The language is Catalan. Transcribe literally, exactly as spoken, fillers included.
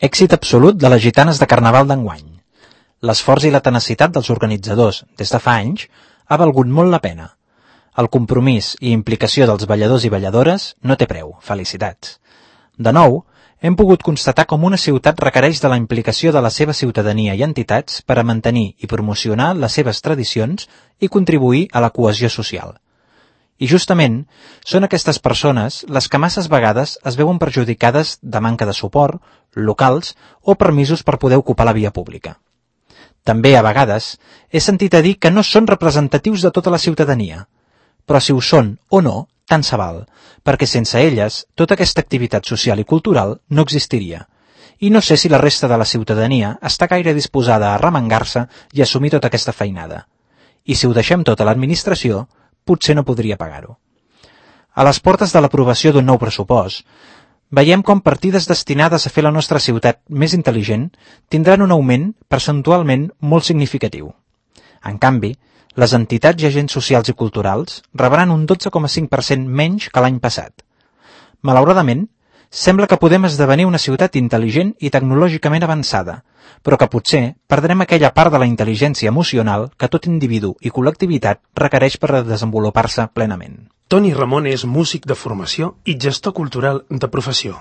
Èxit absolut de les gitanes de Carnaval d'enguany. L'esforç i la tenacitat dels organitzadors des de fa anys ha valgut molt la pena. El compromís i implicació dels balladors i balladores no té preu. Felicitats. De nou, hem pogut constatar com una ciutat requereix de la implicació de la seva ciutadania i entitats per a mantenir i promocionar les seves tradicions i contribuir a la cohesió social. I justament són aquestes persones les que masses vegades es veuen perjudicades de manca de suport, locals o permisos per poder ocupar la via pública. També, a vegades, he sentit a dir que no són representatius de tota la ciutadania, però si ho són o no, tant se val, perquè sense elles tota aquesta activitat social i cultural no existiria. I no sé si la resta de la ciutadania està gaire disposada a arremangar-se i assumir tota aquesta feinada. I si ho deixem tot a l'administració, potser no podria pagar-ho. A les portes de l'aprovació d'un nou pressupost, veiem com partides destinades a fer la nostra ciutat més intel·ligent tindran un augment percentualment molt significatiu. En canvi, les entitats i agents socials i culturals rebran un dotze coma cinc per cent menys que l'any passat. Malauradament, sembla que podem esdevenir una ciutat intel·ligent i tecnològicament avançada, però que potser perdrem aquella part de la intel·ligència emocional que tot individu i col·lectivitat requereix per desenvolupar-se plenament. Toni Ramon és músic de formació i gestor cultural de professió.